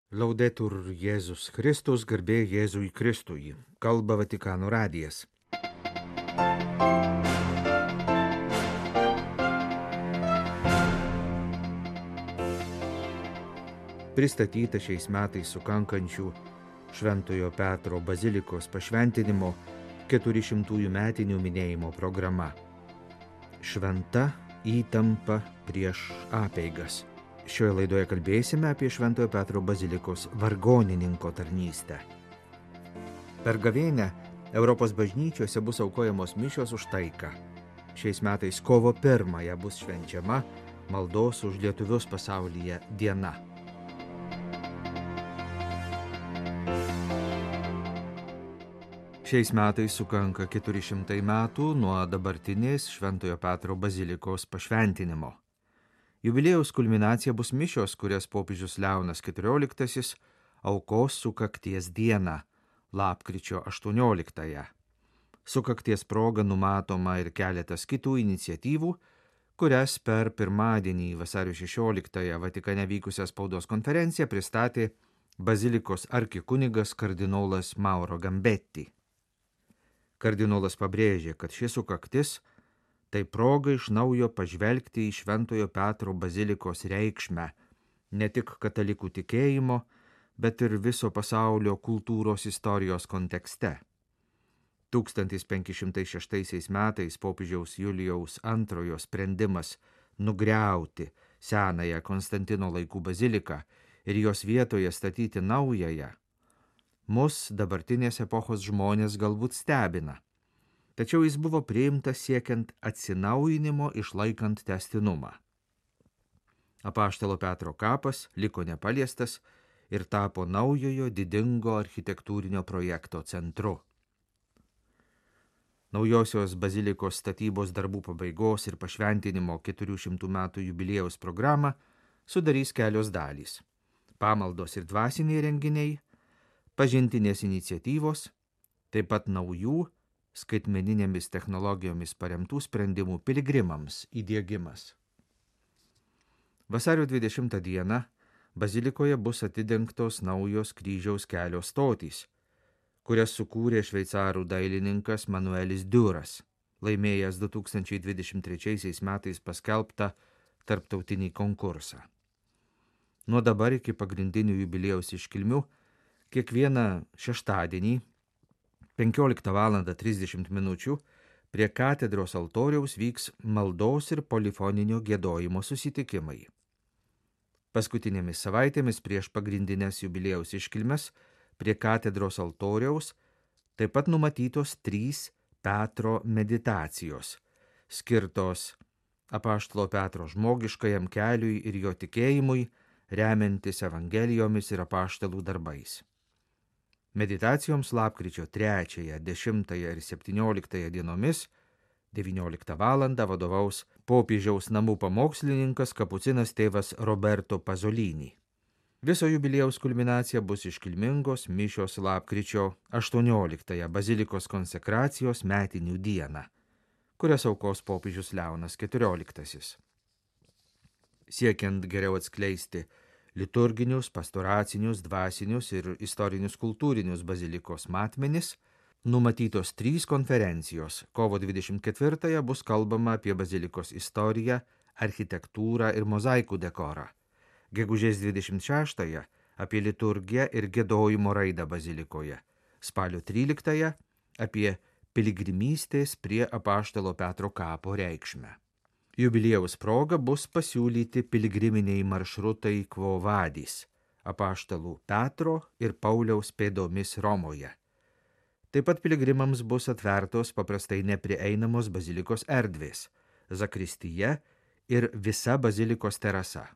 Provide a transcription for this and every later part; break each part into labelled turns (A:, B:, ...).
A: Laudetur Jėzus Kristus, garbė Jėzui Kristui. Kalba Vatikano radijas. Pristatyta šiais metais sukankančių Šventojo Petro bazilikos pašventinimo 400 metinių minėjimo programa. Šventa įtampa prieš apeigas. Šioje laidoje kalbėsime apie Šventojo Petro bazilikos vargonininko tarnystę. Per gavėnią Europos bažnyčiose bus aukojamos mišios už taiką. Šiais metais kovo 1 bus švenčiama maldos už lietuvius pasaulyje diena. Šiais metais sukanka 400 metų nuo dabartinės Šventojo Petro bazilikos pašventinimo. Jubiliejaus kulminacija bus mišios, kurias popiežius Leonas XIV aukos sukakties dieną, lapkričio 18. Sukakties proga numatoma ir keletas kitų iniciatyvų, kurias per pirmadienį vasario 16 Vatikane vykusią spaudos konferenciją pristatė bazilikos arkikunigas kardinolas Mauro Gambetti. Kardinolas pabrėžė, kad ši sukaktis tai proga iš naujo pažvelgti į Šventojo Petro bazilikos reikšmę, ne tik katalikų tikėjimo, bet ir viso pasaulio kultūros istorijos kontekste. 1506 metais popiežiaus Julijaus II sprendimas nugriauti senąją Konstantino laikų baziliką ir jos vietoje statyti naująją, mus dabartinės epochos žmonės galbūt stebina. Tačiau jis buvo priimtas siekiant atsinaujinimo išlaikant tęstinumą. Apaštalo Petro kapas liko nepaliestas ir tapo naujojo didingo architektūrinio projekto centru. Naujosios bazilikos statybos darbų pabaigos ir pašventinimo 400 metų jubiliejaus programą sudarys kelios dalys: pamaldos ir dvasiniai renginiai, pažintinės iniciatyvos, taip pat naujų skaitmeninėmis technologijomis paremtų sprendimų piligrimams įdiegimas. Vasario 20 dieną bazilikoje bus atidengtos naujos kryžiaus kelio stotys, kurias sukūrė šveicarų dailininkas Manuelis Duras, laimėjęs 2023 metais paskelbtą tarptautinį konkursą. Nuo dabar iki pagrindinių jubiliejaus iškilmių kiekvieną šeštadienį 15:30 min. Prie katedros altoriaus vyks maldos ir polifoninio giedojimo susitikimai. Paskutinėmis savaitėmis prieš pagrindinės jubiliejaus iškilmes prie katedros altoriaus taip pat numatytos 3 Petro meditacijos, skirtos apaštalo Petro žmogiškajam keliui ir jo tikėjimui, remiantis evangelijomis ir apaštalų darbais. Meditacijoms lapkričio 3, 10 ir 17 dienomis 19 val. Vadovaus popiežiaus namų pamokslininkas kapucinas tėvas Roberto Pasolini. Viso jubiliejaus kulminacija bus iškilmingos mišios lapkričio 18 bazilikos konsekracijos metinių dieną, kurias aukos popiežius Leonas XIV. Siekiant geriau atskleisti liturginius, pastoracinius, dvasinius ir istorinius kultūrinius bazilikos matmenis, numatytos 3 konferencijos. Kovo 24 bus kalbama apie bazilikos istoriją, architektūrą ir mozaikų dekorą. Gegužės 26 apie liturgiją ir giedojimo raidą bazilikoje. Spalio 13 apie piligrimystės prie apaštalo Petro kapo reikšmę. Jubiliejaus proga bus pasiūlyti piligriminiai maršrutai Quo Vadis, apaštalų Petro ir Pauliaus pėdomis Romoje. Taip pat piligrimams bus atvertos paprastai neprieinamos bazilikos erdvės, zakristija ir visa bazilikos terasa.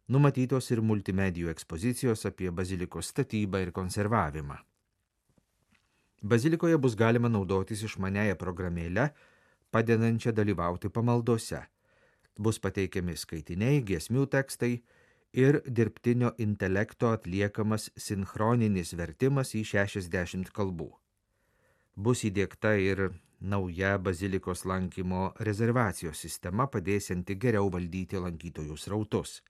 A: Numatytos ir multimedijų ekspozicijos apie bazilikos statybą ir konservavimą. Bazilikoje bus galima naudotis išmaniąją programėlę, padedančią dalyvauti pamaldose. Bus pateikiami skaitiniai, giesmių tekstai ir dirbtinio intelekto atliekamas sinchroninis vertimas į 60 kalbų. Bus įdiegta ir nauja bazilikos lankymo rezervacijos sistema, padėsianti geriau valdyti lankytojų srautus.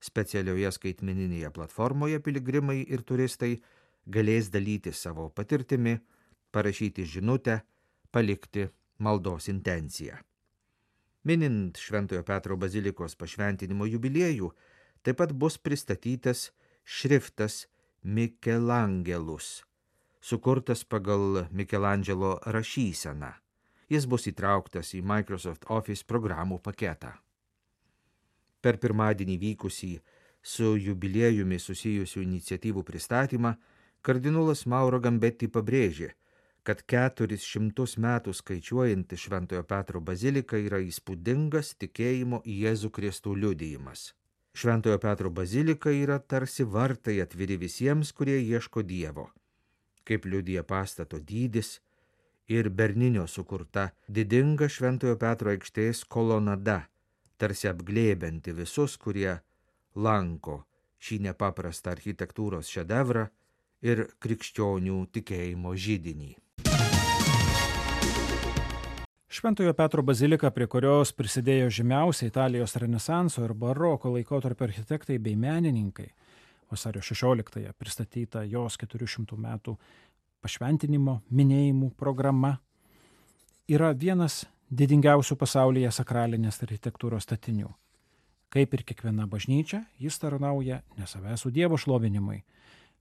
A: Specialioje skaitmeninėje platformoje piligrimai ir turistai galės dalyti savo patirtimi, parašyti žinutę, palikti maldos intenciją. Minint Šventojo Petro bazilikos pašventinimo jubiliejų, taip pat bus pristatytas šriftas Mikelangelus, sukurtas pagal Mikelandželo rašyseną. Jis bus įtrauktas į Microsoft Office programų paketą. Per pirmadienį vykusį su jubiliejumi susijusių iniciatyvų pristatymą kardinolas Mauro Gambetti pabrėžė, kad 400 metų skaičiuojanti Šventojo Petro bazilika yra įspūdingas tikėjimo į Jėzų Kristų liudijimas. Šventojo Petro bazilika yra tarsi vartai atviri visiems, kurie ieško Dievo. Kaip liudija pastato dydis ir Berninio sukurta didinga Šventojo Petro aikštės kolonada, tarsi apglėbianti visus, kurie lanko šį nepaprastą architektūros šedevrą ir krikščionių tikėjimo židinį.
B: Šventojo Petro bazilika, prie kurios prisidėjo žymiausiai Italijos renesanso ir baroko laikotarpio architektai bei menininkai, vasario 16-ąją pristatyta jos 400 metų pašventinimo minėjimų programa, yra vienas didingiausių pasaulyje sakralinės architektūros statinių. Kaip ir kiekviena bažnyčia, jis tarnauja ne savęs Dievo šlovinimui,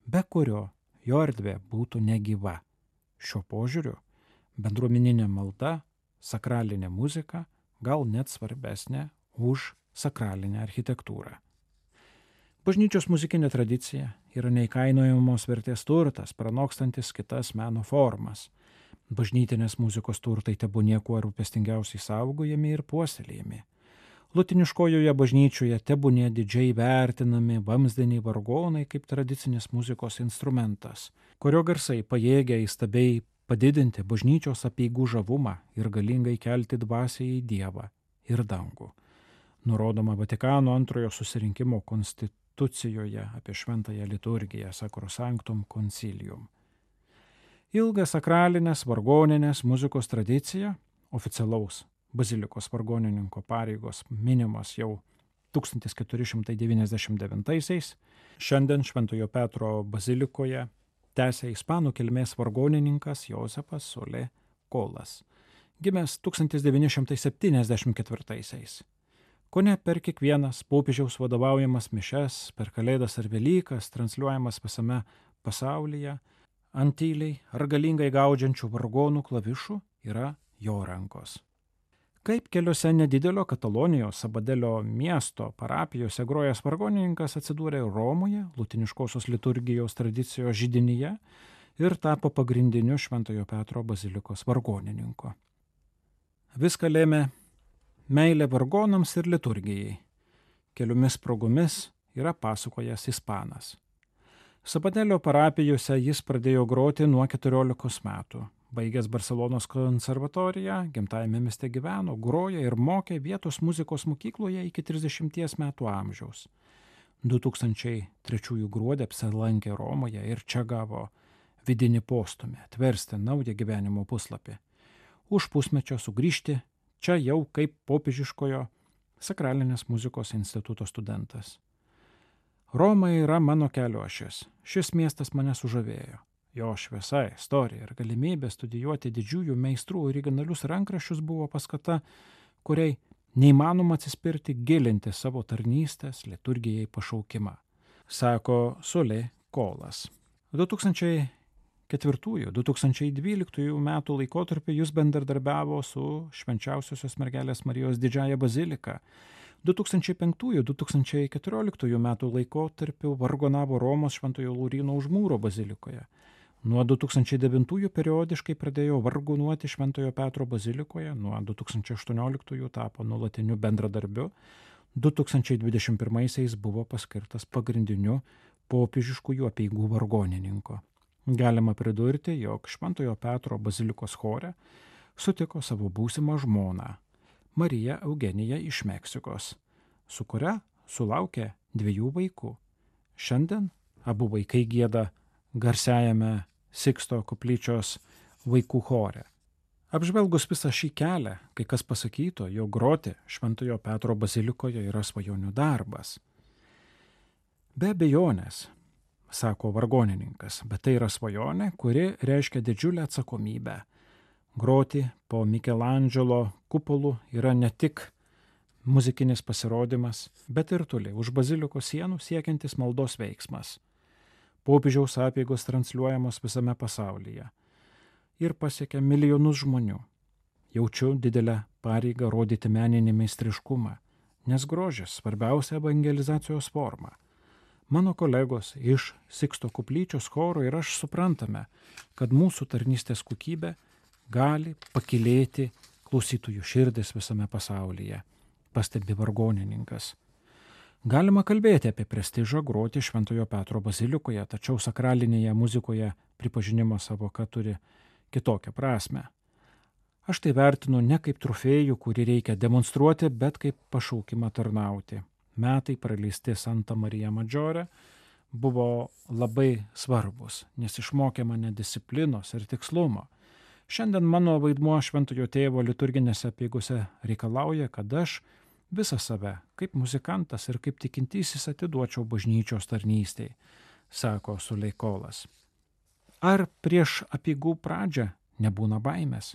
B: be kurio jo erdvė būtų negyva. Šiuo požiūriu bendruomeninė malda, sakralinė muzika gal net svarbesnė už sakralinę architektūrą. Bažnyčios muzikinė tradicija yra neįkainojamos vertės turtas, pranokstantis kitas meno formas. Bažnytinės muzikos turtai tebūnie kuo rūpestingiausiai saugojami ir puoselėjami. Lotiniškojoje bažnyčioje tebūnie didžiai vertinami vamzdiniai vargonai kaip tradicinės muzikos instrumentas, kurio garsai pajėgia įstabiai padidinti bažnyčios apeigų žavumą ir galingai kelti dvasią į Dievą ir dangų. Nurodoma Vatikano antrojo susirinkimo konstitucijoje apie šventąją liturgiją Sacrosanctum Concilium. Ilga sakralinės vargoninės muzikos tradicija, oficialaus bazilikos vargonininko pareigos minimos jau 1499-aisiais, šiandien Šventojo Petro bazilikoje tęsia ispanų kilmės vargonininkas Josepas Solé Colas, gimęs 1974-aisiais. Kone per kiekvienas popiežiaus vadovaujamas mišes, per Kalėdas ar Velykas, transliuojamas visame pasaulyje, ant tyliai ar galingai gaudžiančių vargonų klavišų yra jo rankos. Kaip keliose nedidelio Katalonijos Sabadelio miesto parapijose grojęs vargonininkas atsidūrė Romoje, lutiniškosios liturgijos tradicijos židinyje ir tapo pagrindiniu Šventojo Petro bazilikos vargonininku. Viską lėmė meilė vargonams ir liturgijai. Keliomis progomis yra pasakojęs ispanas. Sabadelio parapijose jis pradėjo groti nuo 14 metų. Baigęs Barselonos konservatoriją, gimtajame mieste gyveno, grojo ir mokė vietos muzikos mokykloje iki 30 metų amžiaus. 2003 gruodį apsilankė Romoje ir čia gavo vidinį postūmį atversti naują gyvenimo puslapį. Už pusmečio sugrįžti čia jau kaip popiežiškojo sakralinės muzikos instituto studentas. Roma yra mano kelio ašis. Šis miestas mane sužavėjo. Jo šviesa, istorija ir galimybė studijuoti didžiųjų meistrų originalius rankraščius buvo paskata, kuriai neįmanoma atsispirti gilinti savo tarnystės liturgijai pašaukimą, sako Solé Colas. 2004-2012 metų laikotarpiu jis bendradarbiavo su Švenčiausiosios mergelės Marijos didžiąja bazilika. 2005-2014 metų laikotarpiu vargonavo Romos Šventojo Lauryno Užmūro bazilikoje. Nuo 2009 periodiškai pradėjo vargonuoti Šventojo Petro bazilikoje, nuo 2018 tapo nuolatiniu bendradarbiu, 2021 buvo paskirtas pagrindiniu popiežiškųjų apeigų vargonininku. Galima pridurti, jog Šventojo Petro bazilikos chore sutiko savo būsimą žmoną, Mariją Eugeniją iš Meksikos, su kuria sulaukė 2 vaikų. Šiandien abu vaikai gieda garsiajame Siksto koplyčios vaikų chore. Apžvelgus visą šį kelią, kai kas pasakytų, jog groti Šventojo Petro bazilikoje yra svajonių darbas. Be abejonės, sako vargonininkas, bet tai yra svajonė, kuri reiškia didžiulę atsakomybę. Groti po Mikelandželo kupolu yra ne tik muzikinis pasirodymas, bet ir toli už bazilikos sienų siekiantis maldos veiksmas. Popiežiaus apeigos transliuojamos visame pasaulyje ir pasiekia milijonus žmonių. Jaučiu didelę pareigą rodyti meninį meistriškumą, nes grožis svarbiausia evangelizacijos forma. Mano kolegos iš Siksto koplyčios choro ir aš suprantame, kad mūsų tarnystės kokybė gali pakylėti klausytojų širdis visame pasaulyje, pastebi vargonininkas. Galima kalbėti apie prestižą groti Šventojo Petro bazilikoje, tačiau sakralinėje muzikoje pripažinimo savoka turi kitokią prasme. Aš tai vertinu ne kaip trofėjų, kurį reikia demonstruoti, bet kaip pašaukimą tarnauti. Metai praleisti Santa Marija Maggiore buvo labai svarbus, nes išmokė mane disciplinos ir tikslumo. Šiandien mano vaidmuo Šventojo Tėvo liturginėse apeigose reikalauja, kad aš visą save, kaip muzikantas ir kaip tikintysis atiduočiau bažnyčios tarnystei, sako Suleikolas. Ar prieš apeigų pradžią nebūna baimės?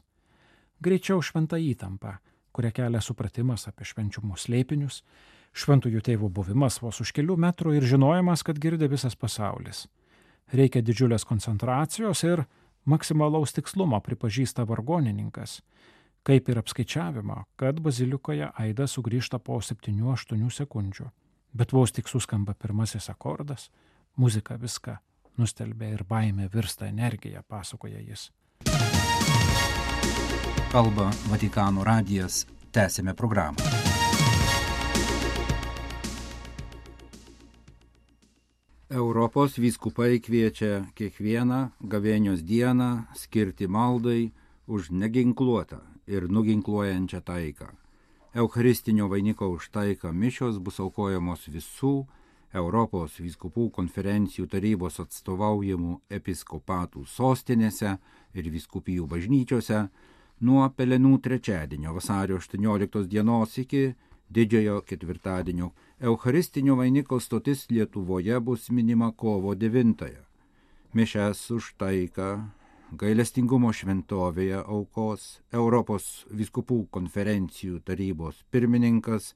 B: Greičiau šventa įtampa, kurią kelia supratimas apie švenčiumo slėpinius, Šventųjų Tėvų buvimas vos už kelių metrų ir žinojimas, kad girdi visas pasaulis. Reikia didžiulės koncentracijos ir maksimalaus tikslumo, pripažįsta vargonininkas, kaip ir apskaičiavimo, kad bazilikoje aidas sugrįžta po 7-8 sekundžių. Bet vos tik suskamba pirmasis akordas, muzika viską nustelbia ir baimė virsta energija, pasakoja jis.
C: Kalba Vatikano radijas, tęsėme programą. Europos vyskupai kviečia kiekvieną gavėnios dieną skirti maldai už neginkluotą ir nuginkluojančią taiką. Eucharistinio vainiko už taiką mišios bus aukojamos visų Europos vyskupų konferencijų tarybos atstovaujamų episkopatų sostinėse ir vyskupijų bažnyčiose nuo Pelenų trečiadienio vasario 18 dienos iki Didžiojo ketvirtadienio. Eucharistinio vainiko stotis Lietuvoje bus minima kovo 9-ąją. Mišias už taiką gailestingumo šventovėje aukos Europos vyskupų konferencijų tarybos pirmininkas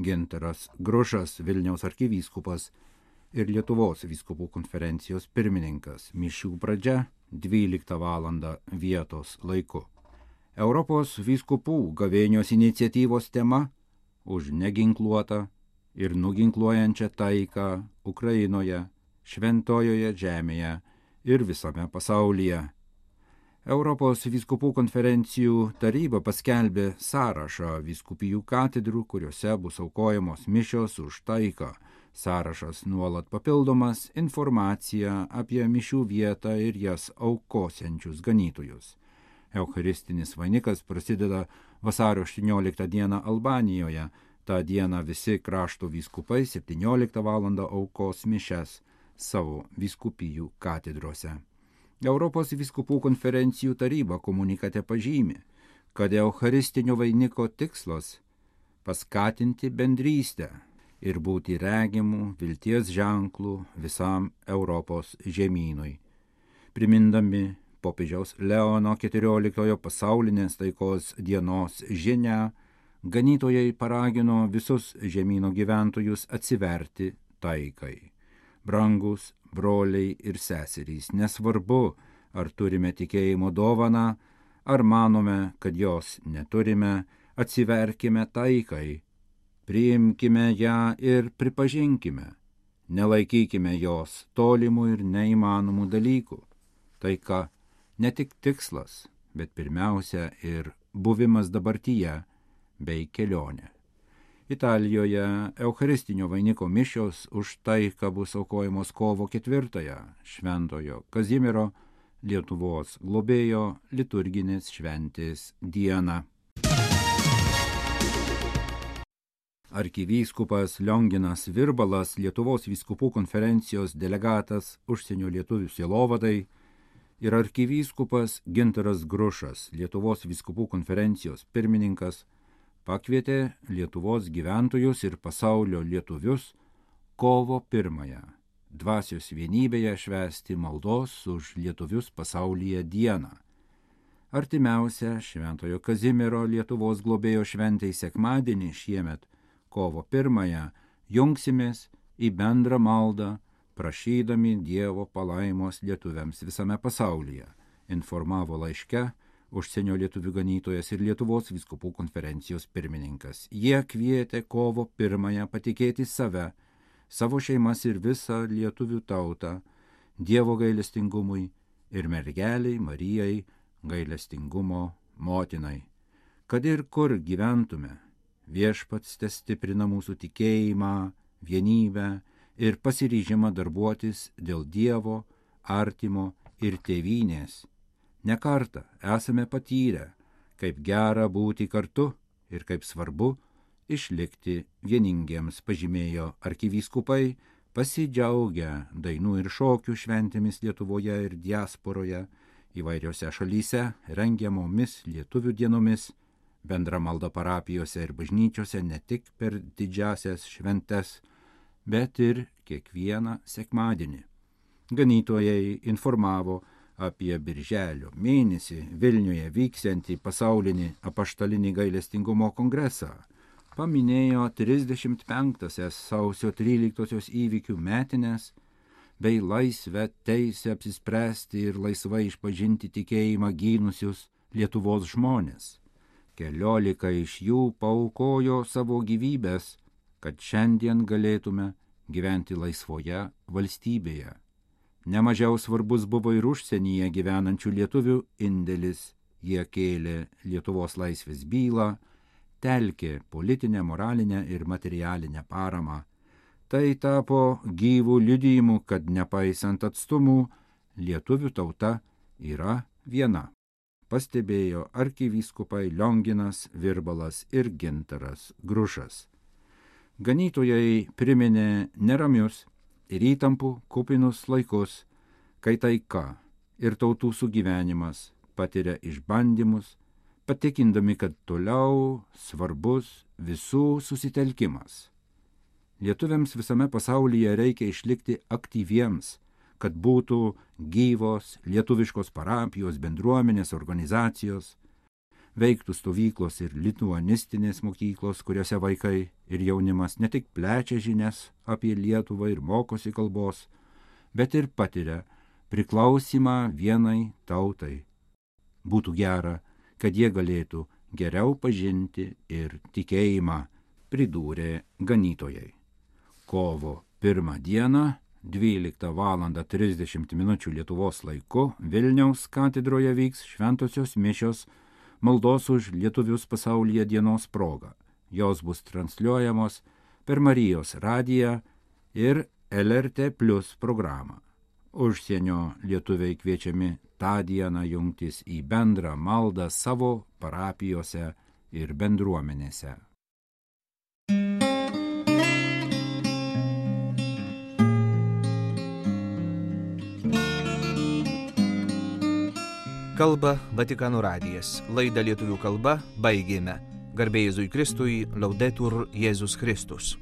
C: Gintaras Grušas, Vilniaus arkivyskupas ir Lietuvos vyskupų konferencijos pirmininkas. Mišių pradžia 12 val. Vietos laiku. Europos vyskupų gavėnios iniciatyvos tema už neginkluotą ir nuginkluojančią taiką Ukrainoje, Šventojoje žemėje ir visame pasaulyje. Europos vyskupų konferencijų taryba paskelbė sąrašą vyskupijų katedrų, kuriuose bus aukojamos mišios už taiką. Sąrašas nuolat papildomas informacija apie mišių vietą ir jas aukosiančius ganytojus. Eucharistinis vainikas prasideda vasario 18 dieną Albanijoje. Ta diena visi krašto vyskupai 17 val. Aukos mišias savo vyskupijų katedrose. Europos vyskupų konferencijų taryba komunikate pažymi, kad eucharistinio vainiko tikslas paskatinti bendrystę ir būti regimų vilties ženklų visam Europos žemynui. Primindami popiežiaus Leono XIV pasaulinės taikos dienos žinią, ganytojai paragino visus žemyno gyventojus atsiverti taikai. Brangus broliai ir seserys, nesvarbu, ar turime tikėjimo dovaną, ar manome, kad jos neturime, atsiverkime taikai, priimkime ją ir pripažinkime, nelaikykime jos tolimų ir neįmanomų dalykų. Taika ne tik tikslas, bet pirmiausia ir buvimas dabartyje bei kelionė. Italijoje eucharistinio vainiko mišios už taiką bus aukojamos kovo 4-ąją Šventojo Kazimiero, Lietuvos globėjo liturginės šventės dieną. Arkivyskupas Lionginas Virbalas, Lietuvos vyskupų konferencijos delegatas užsienio lietuvių sielovadai, ir arkivyskupas Gintaras Grušas, Lietuvos vyskupų konferencijos pirmininkas, pakvietė Lietuvos gyventojus ir pasaulio lietuvius kovo 1 dvasios vienybėje švęsti maldos už lietuvius pasaulyje dieną. Artimiausia Šventojo Kazimiero Lietuvos globėjo šventei sekmadienį šiemet, kovo 1, jungsimės į bendrą maldą, prašydami Dievo palaimos lietuviams visame pasaulyje, informavo laiške užsienio lietuvių ganytojas ir Lietuvos vyskupų konferencijos pirmininkas. Jie kvietė kovo 1 patikėti save, savo šeimas ir visą lietuvių tautą Dievo gailestingumui ir mergeliai Marijai gailestingumo motinai. Kad ir kur gyventume, Viešpats testiprina mūsų tikėjimą, vienybę ir pasiryžimą darbuotis dėl Dievo, artimo ir tėvynės. Ne kartą esame patyrę, kaip gera būti kartu ir kaip svarbu išlikti vieningiems, pažymėjo arkivyskupai, pasidžiaugę dainų ir šokių šventėmis Lietuvoje ir diasporoje, įvairiose šalyse rengiamomis lietuvių dienomis, bendra malda parapijose ir bažnyčiose ne tik per didžiasias šventes, bet ir kiekvieną sekmadienį. Ganytojai informavo apie birželio mėnesį Vilniuje vyksiantį pasaulinį apaštalinį gailestingumo kongresą, paminėjo 35-asias sausio 13-osios įvykių metines bei laisvę teisę apsispręsti ir laisvai išpažinti tikėjimą gynusius Lietuvos žmonės. 14 iš jų paaukojo savo gyvybės, kad šiandien galėtume gyventi laisvoje valstybėje. Nemažiau svarbus buvo ir užsienyje gyvenančių lietuvių indėlis. Jie kėlė Lietuvos laisvės bylą, telkė politinę, moralinę ir materialinę paramą. Tai tapo gyvų liudijimų, kad nepaisant atstumų, lietuvių tauta yra viena, pastebėjo arkivyskupai Lionginas Virbalas ir Gintaras Grušas. Ganytojai priminė neramius ir įtampų kupinus laikus, kai taika ir tautų sugyvenimas patiria išbandymus, patikindami, kad toliau svarbus visų susitelkimas. Lietuviams visame pasaulyje reikia išlikti aktyviems, kad būtų gyvos lietuviškos parapijos, bendruomenės, organizacijos, veiktų stovyklos ir lituanistinės mokyklos, kuriuose vaikai ir jaunimas ne tik plečia žinias apie Lietuvą ir mokosi kalbos, bet ir patiria priklausimą vienai tautai. Būtų gera, kad jie galėtų geriau pažinti ir tikėjimą, pridūrė ganytojai. Kovo 1 dieną, 12:30 Lietuvos laiku, Vilniaus katedroje vyks šventosios mišios maldos už lietuvius pasaulyje dienos proga. Jos bus transliuojamos per Marijos radiją ir LRT Plus programą. Užsienio lietuviai kviečiami tą dieną jungtis į bendrą maldą savo parapijose ir bendruomenėse.
A: Kalba Vatikano radijas. Laidą lietuvių kalba baigėme. Garbė Jėzui Kristui, Laudetur Jėzus Kristus.